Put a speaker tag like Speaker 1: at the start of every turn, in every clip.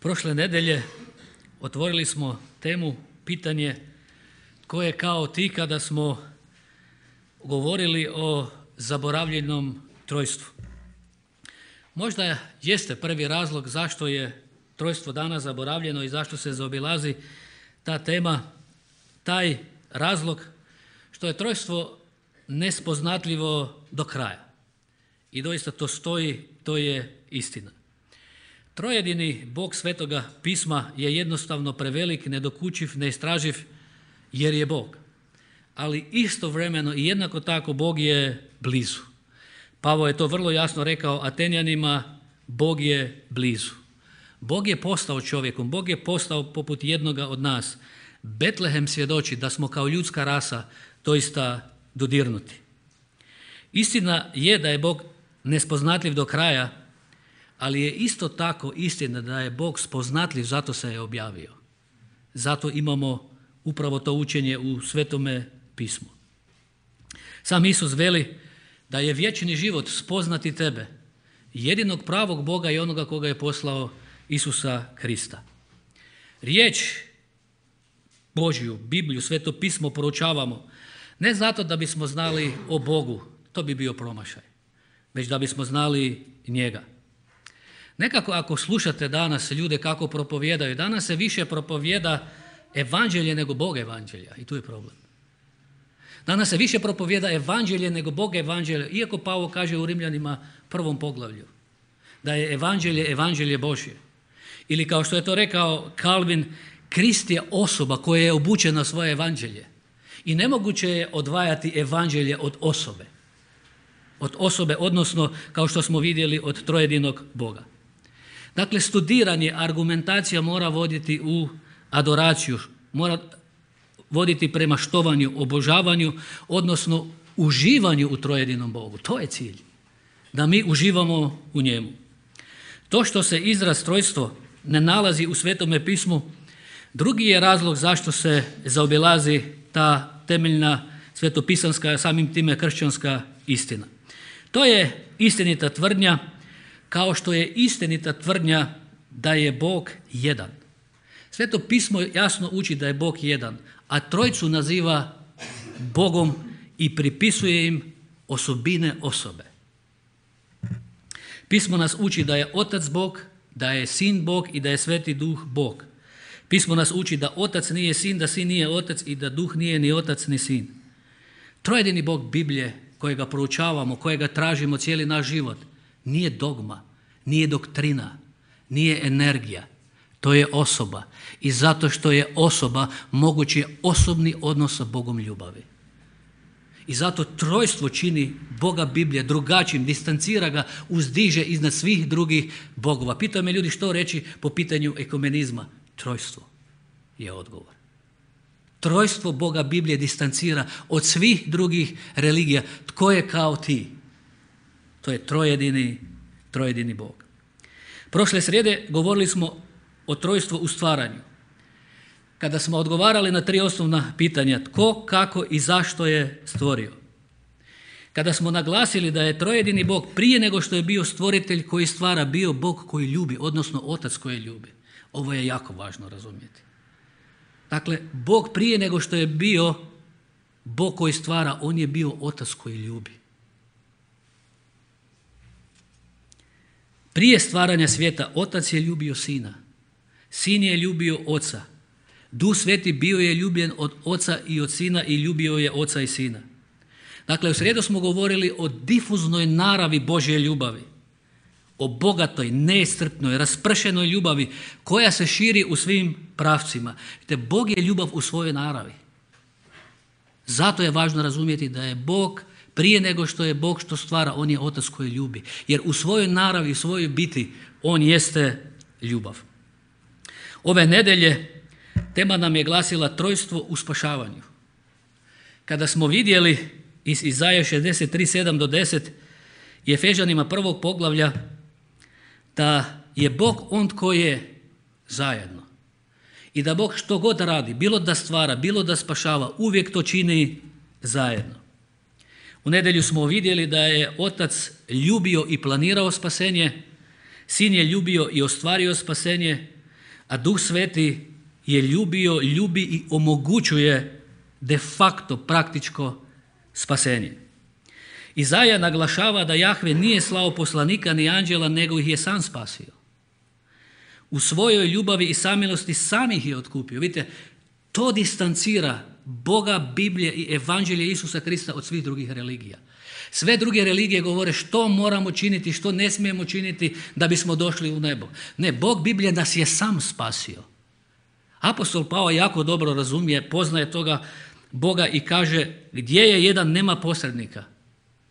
Speaker 1: Prošle nedelje otvorili smo temu, pitanje tko je kao ti, kada smo govorili o zaboravljenom trojstvu. Možda jeste prvi razlog zašto je trojstvo danas zaboravljeno i zašto se zaobilazi ta tema, taj razlog što je trojstvo nespoznatljivo do kraja. I doista to stoji, to je istina. Trojedini Bog Svetoga pisma je jednostavno prevelik, nedokučiv, neistraživ jer je Bog. Ali istovremeno i jednako tako Bog je blizu. Pavao je to vrlo jasno rekao Atenjanima, Bog je blizu. Bog je postao čovjekom, Bog je postao poput jednoga od nas. Betlehem svjedoči da smo kao ljudska rasa doista dodirnuti. Istina je da je Bog nespoznatljiv do kraja, ali je isto tako istina da je Bog spoznatljiv, zato se je objavio. Zato imamo upravo to učenje u Svetome pismu. Sam Isus veli da je vječni život spoznati tebe, jedinog pravog Boga i onoga koga je poslao, Isusa Krista. Riječ Božju, Bibliju, Sveto pismo proučavamo ne zato da bismo znali o Bogu, to bi bio promašaj, već da bismo znali njega. Nekako ako slušate danas ljude kako propovijedaju, danas se više propovijeda evanđelje nego Bog evanđelja i tu je problem. Danas se više propovijeda evanđelje nego Bog evanđelja, iako Pavao kaže u Rimljanima 1. poglavlju da je evanđelje Božje. Ili kao što je to rekao Calvin, Krist je osoba koja je obučena svoje evanđelje i nemoguće je odvajati evanđelje od osobe. Od osobe, odnosno kao što smo vidjeli od trojedinog Boga. Dakle, studiranje, argumentacija mora voditi u adoraciju, mora voditi prema štovanju, obožavanju, odnosno uživanju u trojedinom Bogu. To je cilj, da mi uživamo u njemu. To što se izraz trojstvo ne nalazi u Svetome pismu, drugi je razlog zašto se zaobilazi ta temeljna svetopisanska, samim time kršćanska istina. To je istinita tvrdnja, kao što je istinita tvrdnja da je Bog jedan. Sveto pismo jasno uči da je Bog jedan, a trojcu naziva Bogom i pripisuje im osobine osobe. Pismo nas uči da je Otac Bog, da je Sin Bog i da je Sveti Duh Bog. Pismo nas uči da Otac nije Sin, da Sin nije Otac i da Duh nije ni Otac ni Sin. Trojedini Bog Biblije, kojega proučavamo, kojega tražimo cijeli naš život, nije dogma, nije doktrina, nije energija. To je osoba. I zato što je osoba, moguć je osobni odnos sa Bogom ljubavi. I zato trojstvo čini Boga Biblije drugačijim, distancira ga, uzdiže iznad svih drugih bogova. Pitaju me ljudi što reći po pitanju ekumenizma. Trojstvo je odgovor. Trojstvo Boga Biblije distancira od svih drugih religija. Tko je kao ti? To je trojedini Bog. Prošle srijede govorili smo o trojstvu u stvaranju. Kada smo odgovarali na 3 osnovna pitanja, tko, kako i zašto je stvorio. Kada smo naglasili da je trojedini Bog prije nego što je bio stvoritelj koji stvara, bio Bog koji ljubi, odnosno Otac koji ljubi. Ovo je jako važno razumjeti. Dakle, Bog prije nego što je bio Bog koji stvara, on je bio Otac koji ljubi. Prije stvaranja svijeta Otac je ljubio Sina. Sin je ljubio Oca. Duh Sveti bio je ljubljen od Oca i od Sina i ljubio je Oca i Sina. Dakle, u srijedu smo govorili o difuznoj naravi Božje ljubavi. O bogatoj, neiscrpnoj, raspršenoj ljubavi koja se širi u svim pravcima. Te Bog je ljubav u svojoj naravi. Zato je važno razumjeti da je Bog prije nego što je Bog što stvara, on je Otac koji ljubi. Jer u svojoj naravi, u svojoj biti, on jeste ljubav. Ove nedelje tema nam je glasila trojstvo u spašavanju. Kada smo vidjeli iz Izaje 63:7 do 10 i Efežanima 1. poglavlja da je Bog on tko je zajedno. I da Bog što god radi, bilo da stvara, bilo da spašava, uvijek to čini zajedno. U nedjelju smo vidjeli da je Otac ljubio i planirao spasenje, Sin je ljubio i ostvario spasenje, a Duh Sveti je ljubio, ljubi i omogućuje de facto praktičko spasenje. Izaja naglašava da Jahve nije slao poslanika ni anđela, nego ih je sam spasio. U svojoj ljubavi i samilosti sam ih je otkupio. Vidite, to distancira Boga, Biblije i Evanđelje Isusa Krista od svih drugih religija. Sve druge religije govore što moramo činiti, što ne smijemo činiti da bismo došli u nebo. Ne, Bog Biblije nas je sam spasio. Apostol Pavao jako dobro razumije, poznaje toga Boga i kaže gdje je jedan nema posrednika,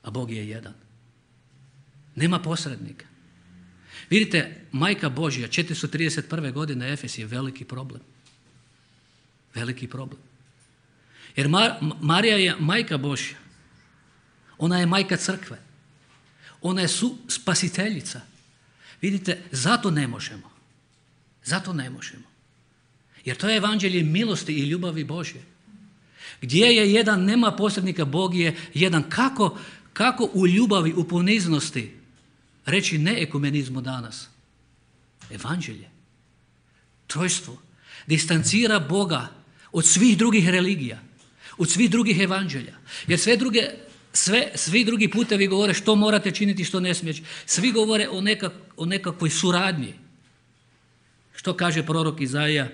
Speaker 1: a Bog je jedan. Nema posrednika. Vidite, Majka Božja, 431. godine Efes je veliki problem. Veliki problem. Jer Marija je Majka Božja. Ona je majka crkve. Ona je spasiteljica. Vidite, zato ne možemo. Zato ne možemo. Jer to je evanđelje milosti i ljubavi Božje. Gdje je jedan nema posrednika, Bog je jedan. Kako u ljubavi, u poniznosti reći ne ekumenizmu danas? Evanđelje. Trojstvo. Distancira Boga od svih drugih religija, od svih drugih evanđelja. Jer svi drugi putevi govore što morate činiti, što ne smijete. Svi govore o nekakvoj suradnji. Što kaže prorok Izaija?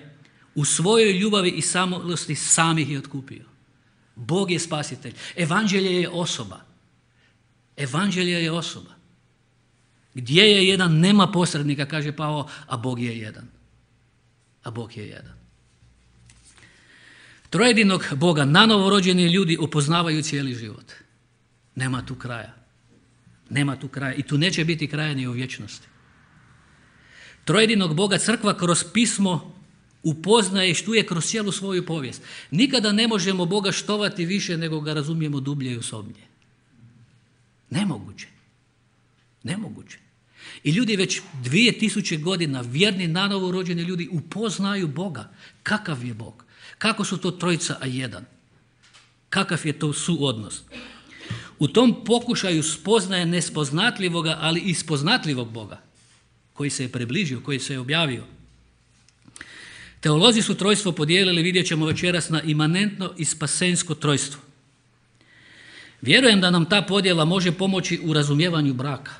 Speaker 1: U svojoj ljubavi i samilosti sam ih je otkupio. Bog je spasitelj. Evanđelje je osoba. Evanđelje je osoba. Gdje je jedan nema posrednika, kaže Pavao, a Bog je jedan. A Bog je jedan. Trojedinog Boga nanovo rođeni ljudi upoznavaju cijeli život. Nema tu kraja. Nema tu kraja. I tu neće biti kraja ni u vječnosti. Trojedinog Boga crkva kroz pismo upoznaje i štuje kroz cijelu svoju povijest. Nikada ne možemo Boga štovati više nego ga razumijemo dublje i osobnije. Nemoguće. Nemoguće. I ljudi već 2000 godina, vjerni nanovo rođeni ljudi, upoznaju Boga. Kakav je Bog? Kako su to trojica, a jedan? Kakav je to suodnos? U tom pokušaju spoznaje nespoznatljivoga, ali i spoznatljivog Boga, koji se je približio, koji se je objavio. Teolozi su trojstvo podijelili, vidjet ćemo večeras, na imanentno i spasensko trojstvo. Vjerujem da nam ta podjela može pomoći u razumijevanju braka.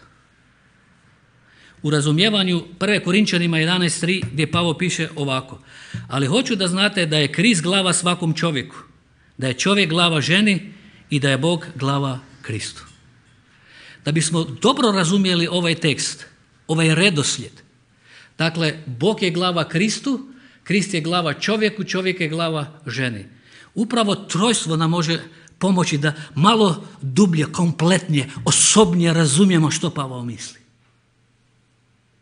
Speaker 1: U razumijevanju 1. Korinčanima 11.3 gdje Pavao piše ovako: ali hoću da znate da je Krist glava svakom čovjeku, da je čovjek glava ženi i da je Bog glava Kristu. Da bismo dobro razumjeli ovaj tekst, ovaj redoslijed, dakle, Bog je glava Kristu, Krist je glava čovjeku, čovjek je glava ženi. Upravo trojstvo nam može pomoći da malo dublje, kompletnije, osobnije razumijemo što Pavao misli.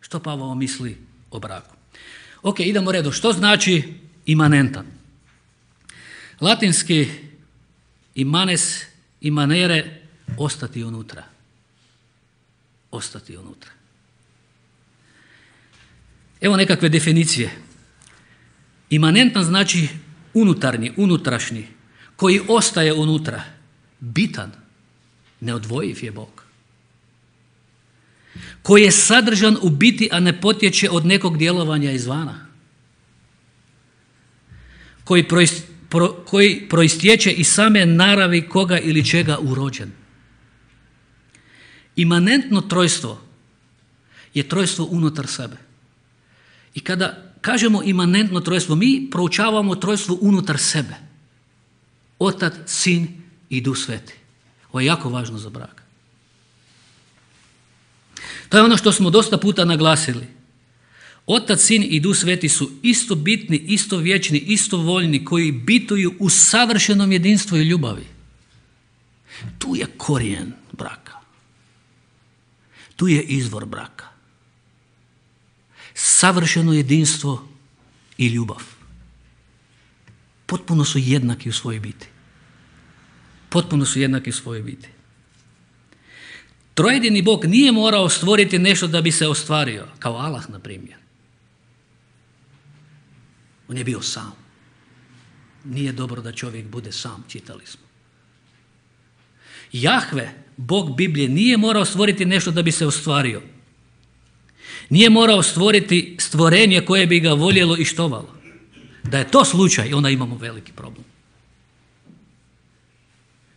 Speaker 1: Što Pavao misli o braku. Ok, idemo redom. Što znači imanentan? Latinski imanes, imanere, ostati unutra. Ostati unutra. Evo nekakve definicije. Imanentan znači unutarnji, unutrašnji, koji ostaje unutra. Bitan, neodvojiv je Bog. Koji je sadržan u biti, a ne potječe od nekog djelovanja izvana. Koji proistječe iz same naravi koga ili čega urođen. Imanentno trojstvo je trojstvo unutar sebe. I kada kažemo imanentno trojstvo, mi proučavamo trojstvo unutar sebe. Otac, Sin i Duh Sveti. Ovo je jako važno za brak. To je ono što smo dosta puta naglasili. Otac, Sin i Duh Sveti su isto bitni, isto vječni, isto voljni, koji bituju u savršenom jedinstvu i ljubavi. Tu je korijen braka. Tu je izvor braka. Savršeno jedinstvo i ljubav. Potpuno su jednaki u svojoj biti. Potpuno su jednaki u svojoj biti. Trojedini Bog nije morao stvoriti nešto da bi se ostvario, kao Allah, na primjer. On je bio sam. Nije dobro da čovjek bude sam, čitali smo. Jahve, Bog Biblije, nije morao stvoriti nešto da bi se ostvario. Nije morao stvoriti stvorenje koje bi ga voljelo i štovalo. Da je to slučaj, onda imamo veliki problem.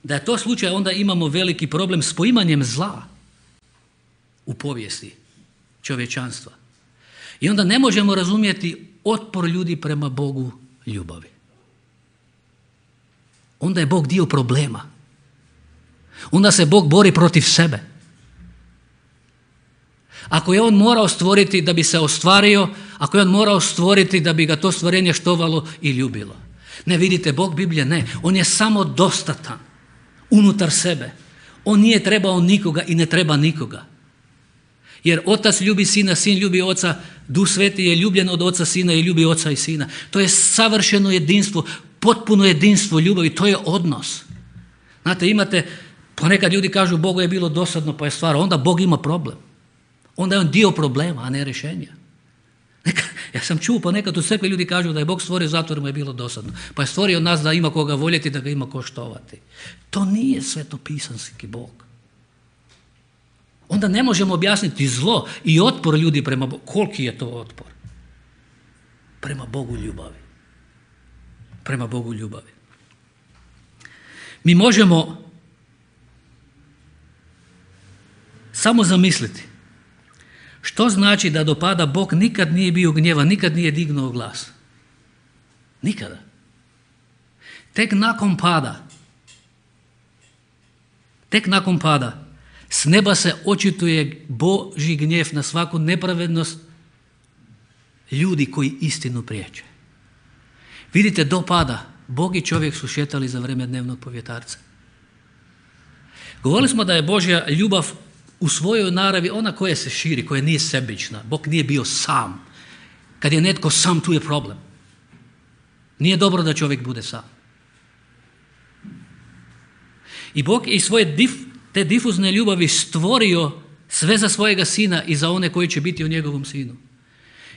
Speaker 1: Da je to slučaj, onda imamo veliki problem s poimanjem zla u povijesti čovječanstva. I onda ne možemo razumjeti otpor ljudi prema Bogu ljubavi. Onda je Bog dio problema. Onda se Bog bori protiv sebe. Ako je on morao stvoriti da bi se ostvario, ako je on morao stvoriti da bi ga to stvorenje štovalo i ljubilo. Ne, vidite, Bog Biblije ne. On je samo dostatan unutar sebe. On nije trebao nikoga i ne treba nikoga. Jer otac ljubi sina, sin ljubi oca, Duh Sveti je ljubljen od oca, sina i ljubi oca i sina. To je savršeno jedinstvo, potpuno jedinstvo ljubavi, to je odnos. Znate, imate, ponekad ljudi kažu Bogu je bilo dosadno pa je stvar, onda Bog ima problem. Onda je on dio problema, a ne rješenja. Ja sam čuo ponekad u crkvi ljudi kažu da je Bog stvorio zato jer mu je bilo dosadno. Pa je stvorio nas da ima koga voljeti, da ga ima ko štovati. To nije svetopisanski Bog. Onda ne možemo objasniti zlo i otpor ljudi prema Bogu. Koliki je to otpor? Prema Bogu ljubavi. Prema Bogu ljubavi. Mi možemo samo zamisliti što znači da do pada Bog nikad nije bio gnjevan, nikad nije dignuo glas. Nikada. Tek nakon pada s neba se očituje Božji gnjev na svaku nepravednost ljudi koji istinu priječe. Vidite, do pada Bog i čovjek su šetali za vrijeme dnevnog povjetarca. Govorili smo da je Božja ljubav u svojoj naravi ona koja se širi, koja nije sebična. Bog nije bio sam. Kad je netko sam, tu je problem. Nije dobro da čovjek bude sam. I Bog je iz svoje te difuzne ljubavi stvorio sve za svojega sina i za one koji će biti u njegovom sinu.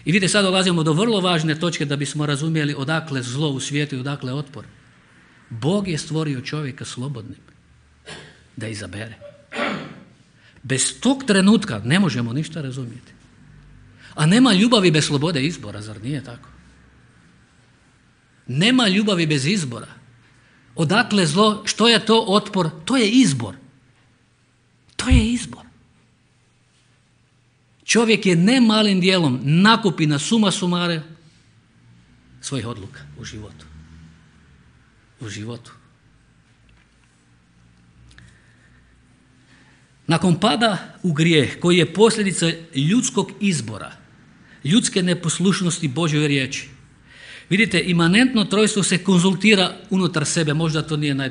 Speaker 1: I vidite, sad dolazimo do vrlo važne točke da bismo razumjeli odakle zlo u svijetu i odakle otpor. Bog je stvorio čovjeka slobodnim da izabere. Bez tog trenutka ne možemo ništa razumjeti. A nema ljubavi bez slobode izbora, zar nije tako? Nema ljubavi bez izbora. Odakle zlo, što je to otpor? To je izbor. To je izbor. Čovjek je ne malim dijelom nakupina suma sumare svojih odluka u životu. U životu. Nakon pada u grijeh, koji je posljedica ljudskog izbora, ljudske neposlušnosti Božjoj riječi, vidite, imanentno trojstvo se konzultira unutar sebe, možda to nije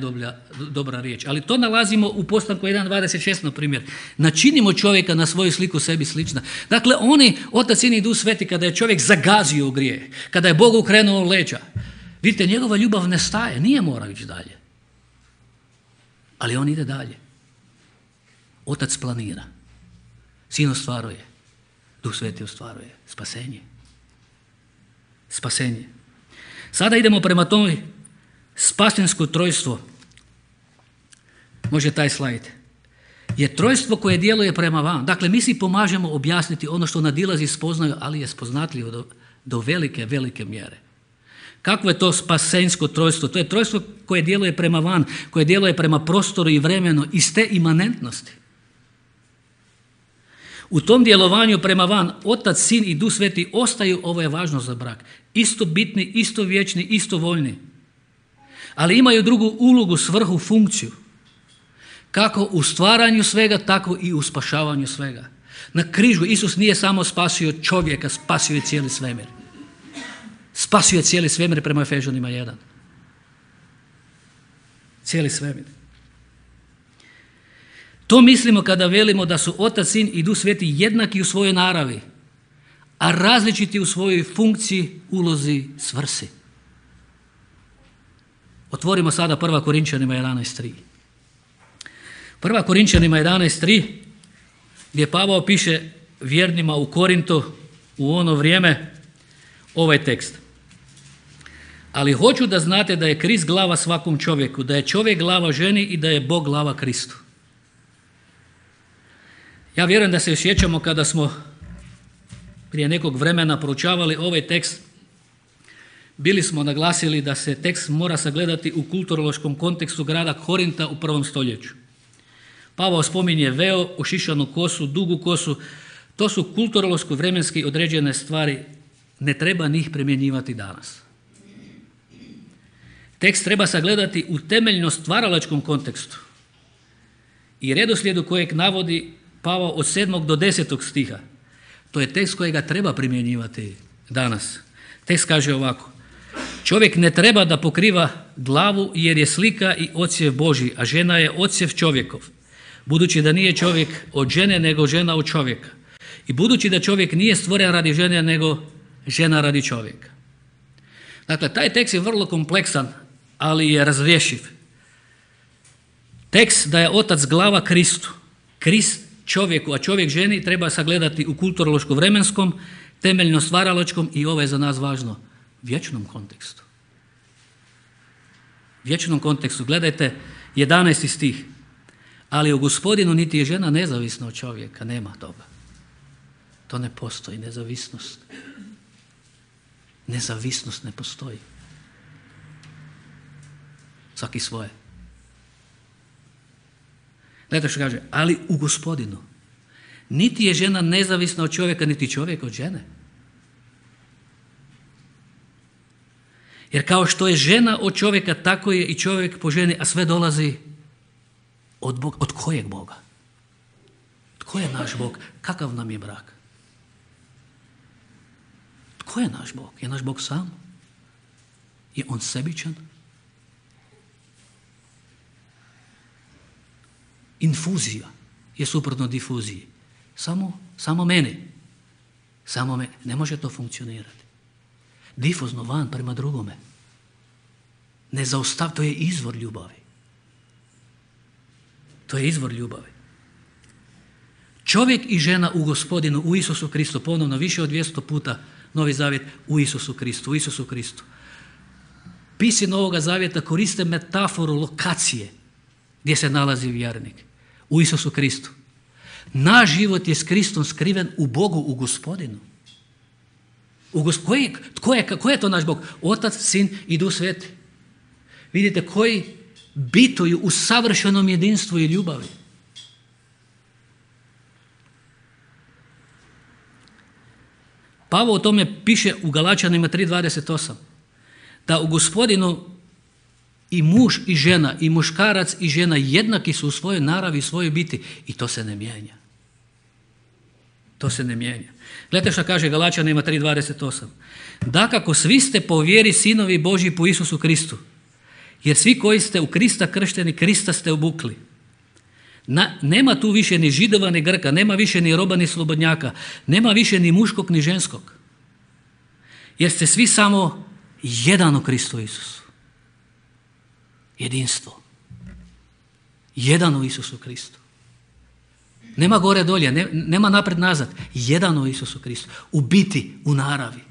Speaker 1: dobra riječ, ali to nalazimo u Postanku 1.26, na primjer. Načinimo čovjeka na svoju sliku sebi slična. Dakle, oni, Otac, Sin i Duh Sveti, kada je čovjek zagazio u grijeh, kada je Bog okrenuo leđa, vidite, njegova ljubav ne staje, nije morao ići dalje. Ali on ide dalje. Otac planira, Sin ostvaruje, Duh Sveti ostvaruje spasenje. Spasenje. Sada idemo prema tome spasensko trojstvo. Može taj slajd. Je trojstvo koje djeluje prema van. Dakle, mi si pomažemo objasniti ono što nadilazi spoznaju, ali je spoznatljivo do velike, velike mjere. Kakvo je to spasensko trojstvo? To je trojstvo koje djeluje prema van, koje djeluje prema prostoru i vremenu iz te imanentnosti. U tom djelovanju prema van Otac, Sin i Duh Sveti ostaju, ovo je važno za brak, isto bitni, isto vječni, isto voljni. Ali imaju drugu ulogu, svrhu, funkciju. Kako u stvaranju svega, tako i u spašavanju svega. Na križu Isus nije samo spasio čovjeka, spasio je cijeli svemir. Spasio je cijeli svemir prema Efežanima 1. Cijeli svemir. To mislimo kada velimo da su Otac, Sin i Duh Sveti jednaki u svojoj naravi, a različiti u svojoj funkciji, ulozi, svrsi. Otvorimo sada 1. Korinčanima 11.3. 1. Korinčanima 11.3 gdje Pavao piše vjernima u Korintu u ono vrijeme ovaj tekst. Ali hoću da znate da je Krist glava svakom čovjeku, da je čovjek glava ženi i da je Bog glava Kristu. Ja vjerujem da se osjećamo kada smo prije nekog vremena proučavali ovaj tekst, bili smo naglasili da se tekst mora sagledati u kulturološkom kontekstu grada Korinta u 1. stoljeću. Pavao spominje veo, ošišanu kosu, dugu kosu. To su kulturološko vremenski određene stvari. Ne treba njih primjenjivati danas. Tekst treba sagledati u temeljno stvaralačkom kontekstu i redoslijedu kojeg navodi Pavao od 7. do 10. stiha. To je tekst kojega treba primjenjivati danas. Tekst kaže ovako: čovjek ne treba da pokriva glavu jer je slika i odsjev Božji, a žena je odsjev čovjekov. Budući da nije čovjek od žene, nego žena od čovjeka. I budući da čovjek nije stvoren radi žene, nego žena radi čovjeka. Dakle, taj tekst je vrlo kompleksan, ali je razrješiv. Tekst da je otac glava Kristu, Krist čovjeku, a čovjek ženi treba sagledati u kulturološko-vremenskom, temeljno stvaralačkom i ovo je za nas važno, vječnom kontekstu. Vječnom kontekstu. Gledajte 11. stih. Ali u Gospodinu niti je žena nezavisna od čovjeka, nema toga. To ne postoji, nezavisnost. Nezavisnost ne postoji. Svaki svoje. Gledajte što kaže, ali u Gospodinu niti je žena nezavisna od čovjeka, niti čovjek od žene. Jer kao što je žena od čovjeka, tako je i čovjek po ženi, a sve dolazi od Boga. Od kojeg Boga? Tko je naš Bog? Kakav nam je brak? Tko je naš Bog? Je naš Bog sam? Je on sebičan? Infuzija je suprotno difuziji. Samo meni. Samo meni. Ne može to funkcionirati. Difuzno van prema drugome. Ne zaustav, to je izvor ljubavi. To je izvor ljubavi. Čovjek i žena u Gospodinu, u Isusu Kristu, ponovno više od 200 puta Novi Zavjet u Isusu Kristu, u Isusu Kristu. Pisci Novoga Zavjeta koriste metaforu lokacije gdje se nalazi vjernik. U Isusu Kristu. Naš život je s Kristom skriven u Bogu, u Gospodinu. Ko je to naš Bog? Otac, Sin i Duh Sveti. Vidite koji bituju u savršenom jedinstvu i ljubavi. Pavao o tome piše u Galačanima 3.28. Da u Gospodinu i muž i žena, i muškarac i žena jednaki su u svojoj naravi i svojoj biti. I to se ne mijenja. To se ne mijenja. Gledajte što kaže Galačanima 3.28. Dakako svi ste po vjeri sinovi Božji po Isusu Kristu. Jer svi koji ste u Krista kršteni, Krista ste obukli. Nema tu više ni Židova ni Grka, nema više ni roba ni slobodnjaka, nema više ni muškog ni ženskog. Jer ste svi samo jedan u Kristu Isusu. Jedinstvo. Jedan u Isusu Kristu. Nema gore dolje, nema napred nazad. Jedan u Isusu Kristu. U biti, u naravi.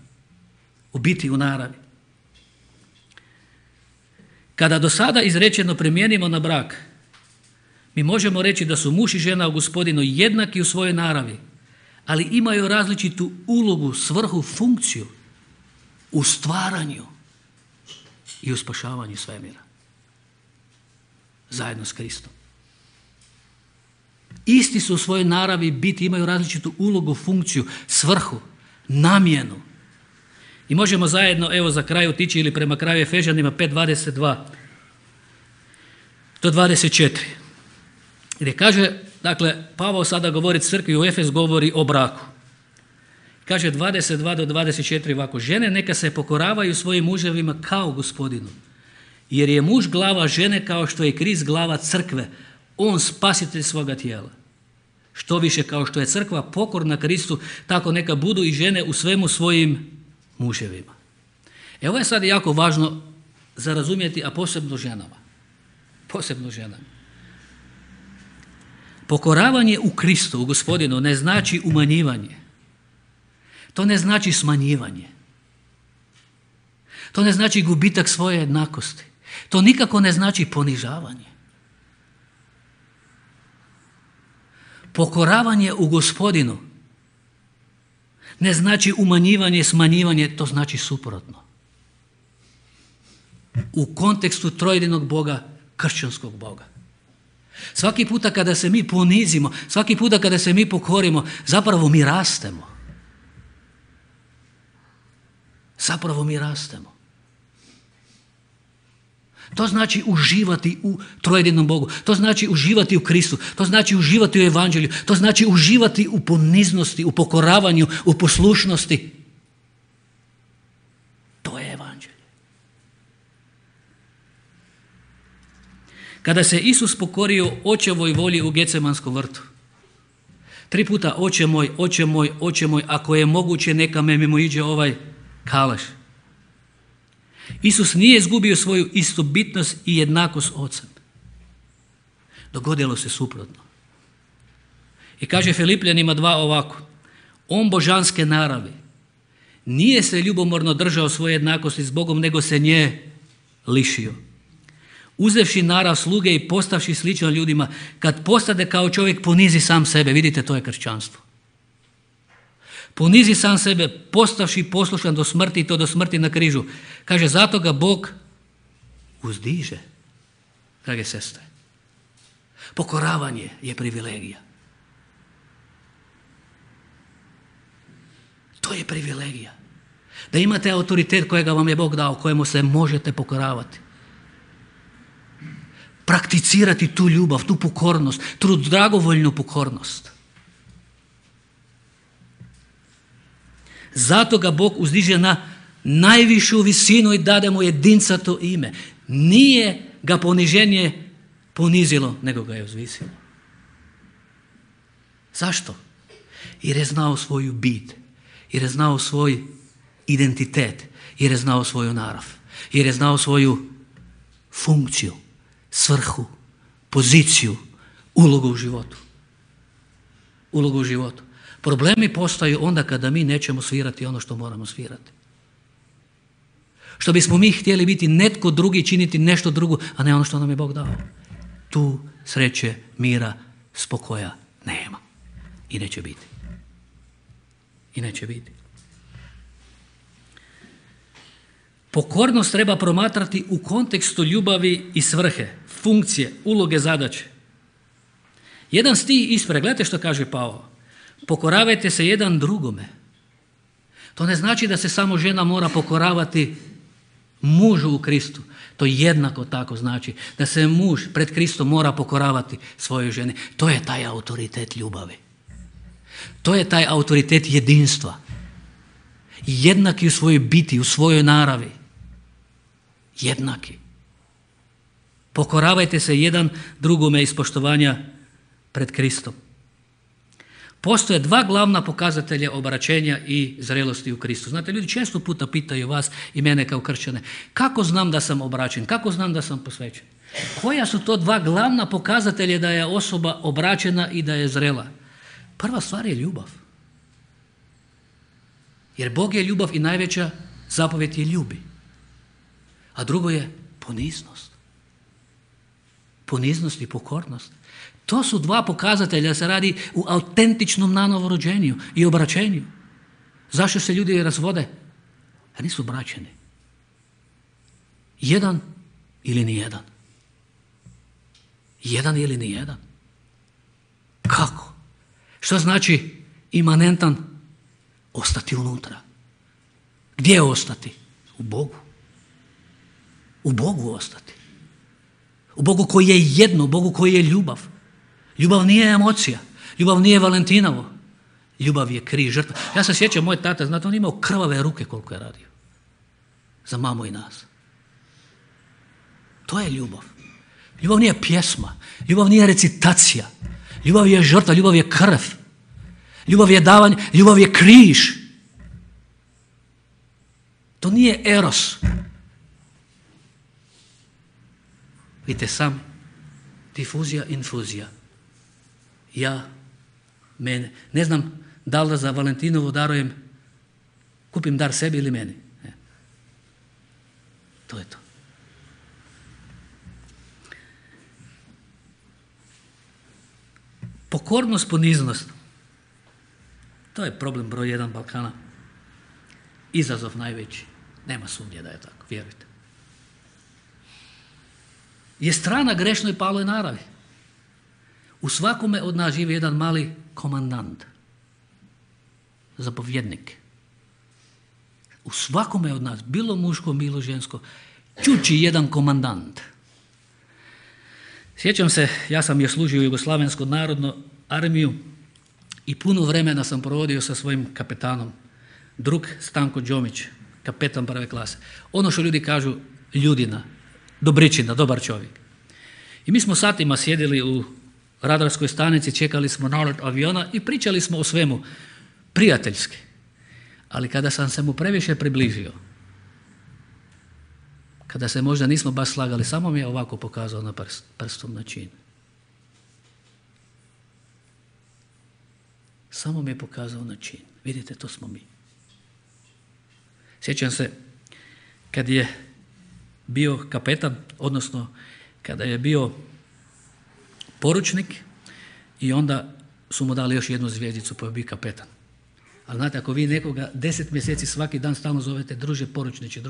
Speaker 1: U biti, u naravi. Kada do sada izrečeno primijenimo na brak, mi možemo reći da su muž i žena u Gospodinu jednaki u svojoj naravi, ali imaju različitu ulogu, svrhu, funkciju u stvaranju i u spašavanju svemira. Zajedno s Kristom. Isti su u svojoj naravi biti, imaju različitu ulogu, funkciju, svrhu, namjenu. I možemo zajedno, evo za kraj otići ili prema kraju Efežanima 5.22 do 24. Gdje kaže, dakle, Pavao sada govori crkvi u Efes, govori o braku. Kaže 22 do 24 ovako: žene neka se pokoravaju svojim muževima kao Gospodinu, jer je muž glava žene kao što je Krist glava crkve, on spasitelj svoga tijela. Što više, kao što je crkva pokorna Kristu, tako neka budu i žene u svemu svojim muževima. Ovo je sad jako važno za razumjeti, a posebno ženama. Posebno ženama. Pokoravanje u Kristu, u Gospodinu, ne znači umanjivanje. To ne znači smanjivanje. To ne znači gubitak svoje jednakosti. To nikako ne znači ponižavanje. Pokoravanje u Gospodinu ne znači umanjivanje, smanjivanje, to znači suprotno. U kontekstu trojedinog Boga, kršćanskog Boga. Svaki puta kada se mi ponizimo, svaki puta kada se mi pokorimo, zapravo mi rastemo. Zapravo mi rastemo. To znači uživati u trojedinom Bogu. To znači uživati u Kristu. To znači uživati u Evanđelju. To znači uživati u poniznosti, u pokoravanju, u poslušnosti. To je Evanđelje. Kada se Isus pokorio Očevoj volji u Gecemanskom vrtu, 3 puta Oče moj, Oče moj, Oče moj, ako je moguće neka me mimoiđe ovaj kalaš. Isus nije izgubio svoju istobitnost i jednakost s Ocem. Dogodilo se suprotno. I kaže Filipljanima 2 ovako. On božanske naravi nije se ljubomorno držao svoje jednakosti s Bogom, nego se nje lišio. Uzevši narav sluge i postavši slično ljudima, kad postade kao čovjek, ponizi sam sebe. Vidite, to je kršćanstvo. Ponizi sam sebe, postavši poslušan do smrti, i to do smrti na križu. Kaže, zato ga Bog uzdiže, drage sestre. Pokoravanje je privilegija. To je privilegija. Da imate autoritet kojega vam je Bog dao, kojemu se možete pokoravati. Prakticirati tu ljubav, tu pokornost, tu dragovoljnu pokornost. Zato ga Bog uzdiže na najvišu visinu i dade mu jedincato ime. Nije ga poniženje ponizilo, nego ga je uzvisilo. Zašto? Jer je znao svoju bit, jer je znao svoj identitet, jer je znao svoju narav, jer je znao svoju funkciju, svrhu, poziciju, ulogu u životu. Ulogu u životu. Problemi postaju onda kada mi nećemo svirati ono što moramo svirati. Što bismo mi htjeli biti netko drugi, činiti nešto drugo, a ne ono što nam je Bog dao. Tu sreće, mira, spokoja nema. I neće biti. I neće biti. Pokornost treba promatrati u kontekstu ljubavi i svrhe, funkcije, uloge, zadaće. Jedan stih ispred, gledajte što kaže Pavao. Pokoravajte se jedan drugome. To ne znači da se samo žena mora pokoravati mužu u Kristu. To jednako tako znači da se muž pred Kristom mora pokoravati svojoj ženi. To je taj autoritet ljubavi. To je taj autoritet jedinstva. Jednaki u svojoj biti, u svojoj naravi. Jednaki. Pokoravajte se jedan drugome iz poštovanja pred Kristom. Postoje 2 glavna pokazatelja obraćenja i zrelosti u Kristu. Znate, ljudi često puta pitaju vas i mene kao kršćane, kako znam da sam obraćen, kako znam da sam posvećen? Koja su to 2 glavna pokazatelja da je osoba obraćena i da je zrela? Prva stvar je ljubav. Jer Bog je ljubav i najveća zapovjed je ljubi. A drugo je poniznost. Poniznost i pokornost. To su 2 pokazatelja da se radi u autentičnom nanovorođenju i obraćenju. Zašto se ljudi razvode? A nisu obraćeni. Jedan ili nijedan. Jedan ili nijedan. Kako? Što znači imanentan? Ostati unutra. Gdje ostati? U Bogu. U Bogu ostati. U Bogu koji je jedno, u Bogu koji je ljubav. Ljubav nije emocija. Ljubav nije Valentinovo. Ljubav je križ, žrtva. Ja se sjećam, moj tata, znate, on imao krvave ruke koliko je radio. Za mamu i nas. To je ljubav. Ljubav nije pjesma. Ljubav nije recitacija. Ljubav je žrtva, ljubav je krv. Ljubav je davanje, ljubav je križ. To nije eros. Vidite sam, difuzija, infuzija. Ja, mene. Ne znam da li da za Valentinovo darujem, kupim dar sebi ili meni. To je to. Pokornost, poniznost. To je problem broj 1 Balkana. Izazov najveći. Nema sumnje da je tako, vjerujte. Je strana grešnoj paloj naravi. U svakome od nas živi jedan mali komandant, zapovjednik. U svakome od nas, bilo muško, bilo žensko, čuči jedan komandant. Sjećam se, ja sam još služio Jugoslavensku narodnu armiju i puno vremena sam provodio sa svojim kapetanom, drug Stanko Đomić, kapetan prve klase. Ono što ljudi kažu ljudina, dobričina, dobar čovjek. I mi smo satima sjedili u radarskoj stanici, čekali smo nalet aviona i pričali smo o svemu, prijateljski. Ali kada sam se mu previše približio, kada se možda nismo baš slagali, samo mi je ovako pokazao na prstom na čin. Samo mi je pokazao na čin. Vidite, to smo mi. Sjećam se kad je bio kapetan, odnosno kada je bio poručnik i onda su mu dali još jednu zvjezdicu pa je bio kapetan. Ali znate, ako vi nekoga 10 mjeseci svaki dan stalno zovete druže poručniče,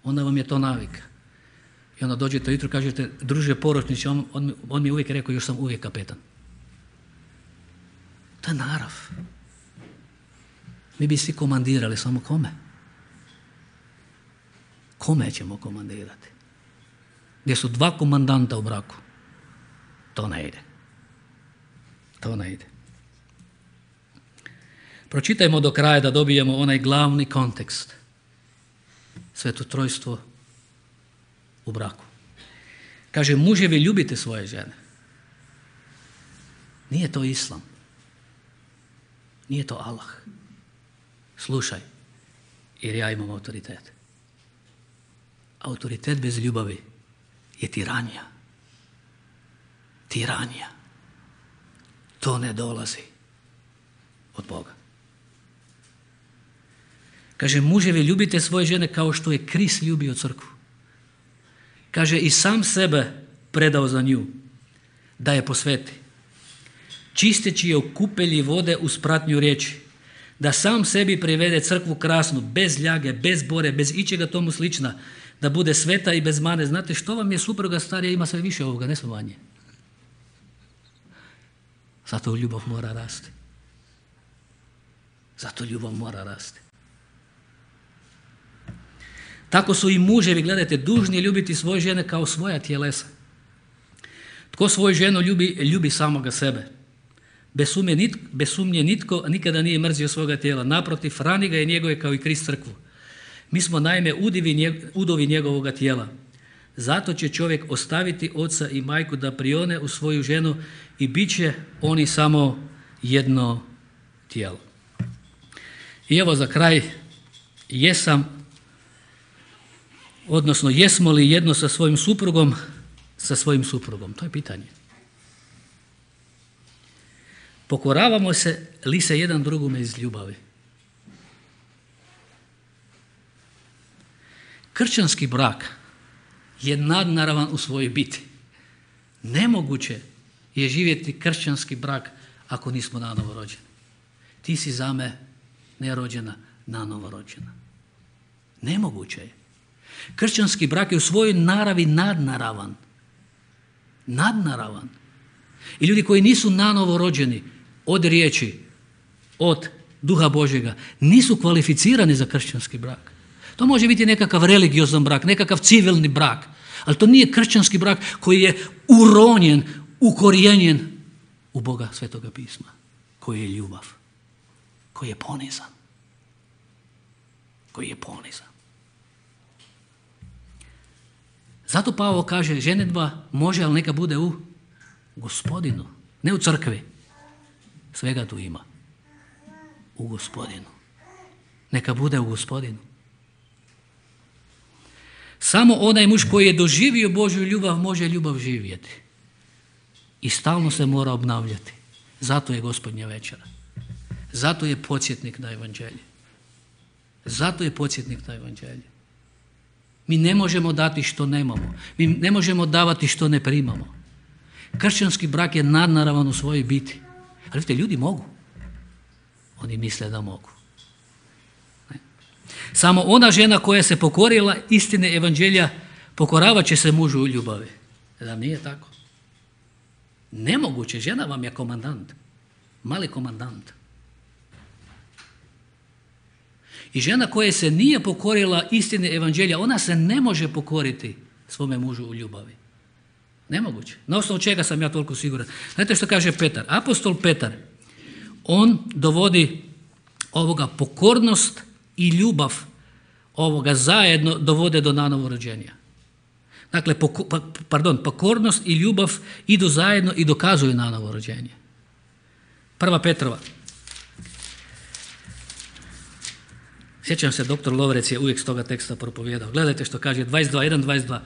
Speaker 1: onda vam je to navika. I onda dođete ujutro i kažete druže poručniče, on mi je uvijek rekao još sam uvijek kapetan. To je narav. Mi bi svi komandirali, samo kome? Kome ćemo komandirati? Gdje su 2 komandanta u braku? To ne ide. To ne ide. Pročitajmo do kraja da dobijemo onaj glavni kontekst. Sveto trojstvo u braku. Kaže, muževi ljubite svoje žene. Nije to islam. Nije to Allah. Slušaj, jer ja imam autoritet. Autoritet bez ljubavi je tiranija. Tiranija. To ne dolazi od Boga. Kaže, muževi ljubite svoje žene kao što je Krist ljubio crkvu. Kaže, i sam sebe predao za nju, da je posveti. Čisteći je u kupelji vode uz pratnju riječi, da sam sebi privede crkvu krasnu, bez ljage, bez bore, bez ičega tomu slična, da bude sveta i bez mane. Znate što vam je supruga starija, ima sve više ovoga, ne sve manje. Zato ljubav mora rasti. Zato ljubav mora rasti. Tako su i muževi, gledajte, dužni ljubiti svoje žene kao svoja tjelesa. Tko svoju ženu ljubi, ljubi samoga sebe. Bez sumnje nitko nikada nije mrzio svoga tijela. Naprotiv, hrani ga je njegove kao i Krist crkvu. Mi smo naime udovi njegovoga tijela. Zato će čovjek ostaviti oca i majku da prione u svoju ženu i bit će oni samo jedno tijelo. I evo za kraj, jesmo li jedno sa svojim suprugom? Sa svojim suprugom, to je pitanje. Pokoravamo li se jedan drugome iz ljubavi? Kršćanski brak je nadnaravan u svojoj biti. Nemoguće je živjeti kršćanski brak ako nismo nanovo rođeni. Ti si za me nerođena, nanovo rođena. Nemoguće je. Kršćanski brak je u svojoj naravi nadnaravan. Nadnaravan. I ljudi koji nisu nanovo rođeni od riječi, od Duha Božjega, nisu kvalificirani za kršćanski brak. To može biti nekakav religiozan brak, nekakav civilni brak, ali to nije kršćanski brak koji je uronjen, ukorijenjen u Boga Svetoga pisma, koji je ljubav, koji je ponizan. Koji je ponizan. Zato Pavao kaže, ženidba može, ali neka bude u Gospodinu, ne u crkvi. Svega tu ima. U Gospodinu. Neka bude u Gospodinu. Samo onaj muž koji je doživio Božju ljubav može ljubav živjeti. I stalno se mora obnavljati. Zato je Gospodnja večera. Zato je podsjetnik na evanđelje. Zato je podsjetnik na evanđelje. Mi ne možemo dati što nemamo. Mi ne možemo davati što ne primamo. Kršćanski brak je nadnaravan u svojoj biti. Ali vidite, ljudi mogu. Oni misle da mogu. Ne. Samo ona žena koja se pokorila istine evanđelja pokoravat će se mužu u ljubavi. Da nije tako? Nemoguće, žena vam je komandant, mali komandant. I žena koja se nije pokorila istine evanđelja, ona se ne može pokoriti svome mužu u ljubavi. Nemoguće. Na osnovu čega sam ja toliko siguran? Znate što kaže Petar? Apostol Petar, on dovodi ovoga pokornost i ljubav ovoga zajedno dovode do nanovorođenja. Dakle, pokornost i ljubav idu zajedno i dokazuju nanovorođenje. 1. Petrova. Sjećam se, doktor Lovrec je uvijek s toga teksta propovijedao. Gledajte što kaže 22.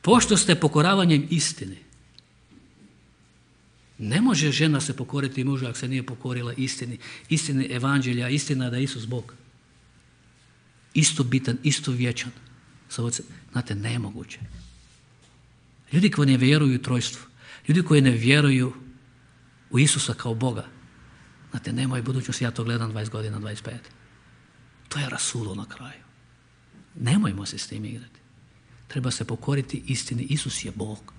Speaker 1: Pošto ste pokoravanjem istini. Ne može žena se pokoriti mužu ako se nije pokorila istini. Istini evanđelja, istina da je Isus Bog. Isto bitan, isto vječan. Znate, nemoguće. Ljudi koji ne vjeruju u trojstvu, ljudi koji ne vjeruju u Isusa kao Boga, znate, nemaju budućnosti, ja to gledam 20 godina, 25. To je rasulo na kraju. Nemojmo se s tim igrati. Treba se pokoriti istini. Isus je Bog.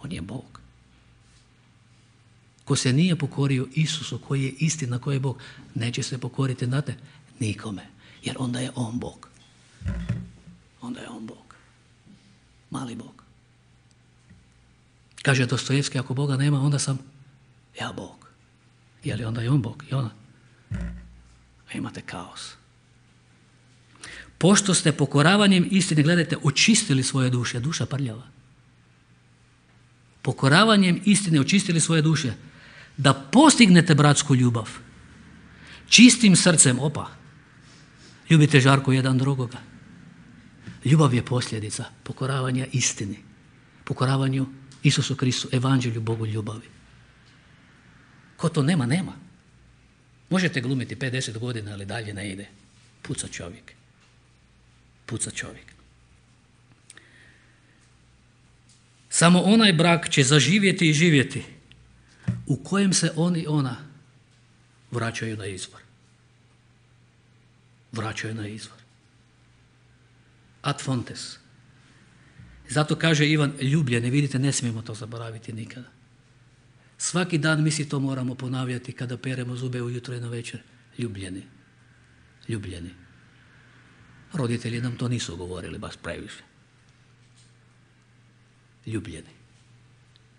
Speaker 1: On je Bog. Ko se nije pokorio Isusu, koji je istina, koji je Bog, neće se pokoriti, znate, nikome. Jer onda je on Bog. Onda je on Bog. Mali Bog. Kaže Dostojevski, ako Boga nema, onda sam ja Bog. Je li onda je on Bog? I ona? Imate kaos. Pošto ste pokoravanjem istine, gledajte, očistili svoje duše, duša prljava. Pokoravanjem istine očistili svoje duše, da postignete bratsku ljubav, čistim srcem, ljubite žarko jedan drugoga. Ljubav je posljedica pokoravanja istini, pokoravanju Isusu Kristu, evanđelju, Bogu ljubavi. Ko to nema, nema. Možete glumiti 50 godina, ali dalje ne ide. Puca čovjek. Puca čovjek. Samo onaj brak će zaživjeti i živjeti u kojem se on i ona vraćaju na izvor. Vraćaju na izvor. Ad fontes. Zato kaže Ivan, ljubljeni, vidite, ne smijemo to zaboraviti nikada. Svaki dan mi si to moramo ponavljati kada peremo zube ujutro i na večer. Ljubljeni. Ljubljeni. Roditelji nam to nisu govorili baš previše. Ljubljeni.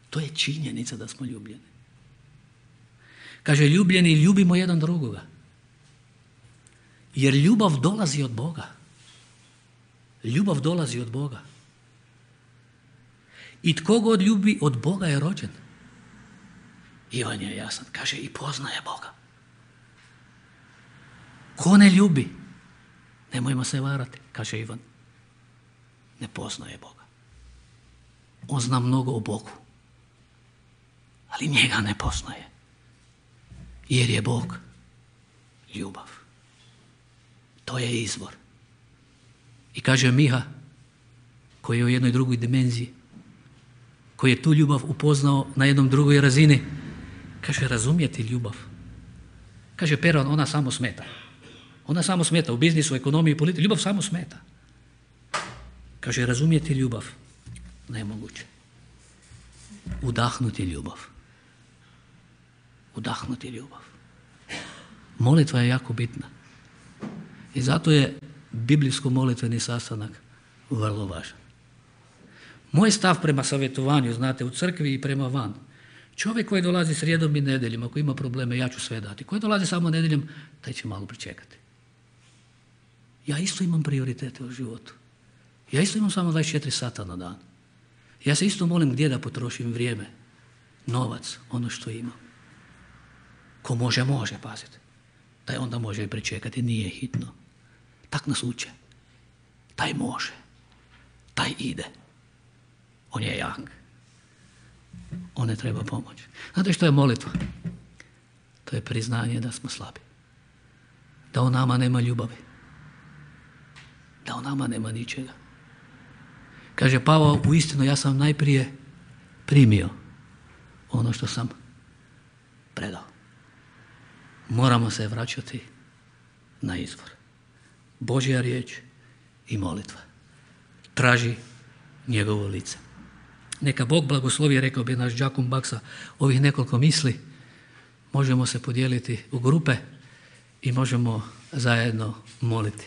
Speaker 1: To je činjenica da smo ljubljeni. Kaže, ljubljeni, ljubimo jedan drugoga. Jer ljubav dolazi od Boga. Ljubav dolazi od Boga. I tko god ljubi od Boga je rođen. Ivan je jasan, kaže, i poznaje Boga. Ko ne ljubi, nemojmo se varati, kaže Ivan, ne poznaje Boga. On zna mnogo o Bogu, ali njega ne poznaje. Jer je Bog ljubav. To je izvor. I kaže Miha, koji je u jednoj drugoj dimenziji, koji je tu ljubav upoznao na jednom drugoj razini, kaže, razumjeti ljubav. Kaže Peron, ona samo smeta. Ona samo smeta u biznisu, ekonomiji i politici. Ljubav samo smeta. Kaže, razumjeti ljubav. Nemoguće. Udahnuti ljubav. Udahnuti ljubav. Molitva je jako bitna. I zato je biblijsko-molitveni sastanak vrlo važan. Moj stav prema savjetovanju, znate, u crkvi i prema van. Čovjek koji dolazi srijedom i nedjeljom, ako ima probleme, ja ću sve dati. Koji dolazi samo nedjeljom, taj će malo pričekati. Ja isto imam prioritete u životu. Ja isto imam samo 24 sata na dan. Ja se isto molim gdje da potrošim vrijeme, novac, ono što imam. Ko može, pazite. Taj onda može i pričekati, nije hitno. Tak nas uče. Taj može. Taj ide. On je jak. On ne treba pomoć. Znate što je molitva? To je priznanje da smo slabi. Da u nama nema ljubavi. Da u nama nema ničega. Kaže Pavao, uistinu ja sam najprije primio ono što sam predao. moramo se vraćati na izvor. Božja riječ i molitva. Traži njegovo lice. Neka Bog blagoslovi, rekao bi naš Đakom Baksa, ovih nekoliko misli. Možemo se podijeliti u grupe i možemo zajedno moliti.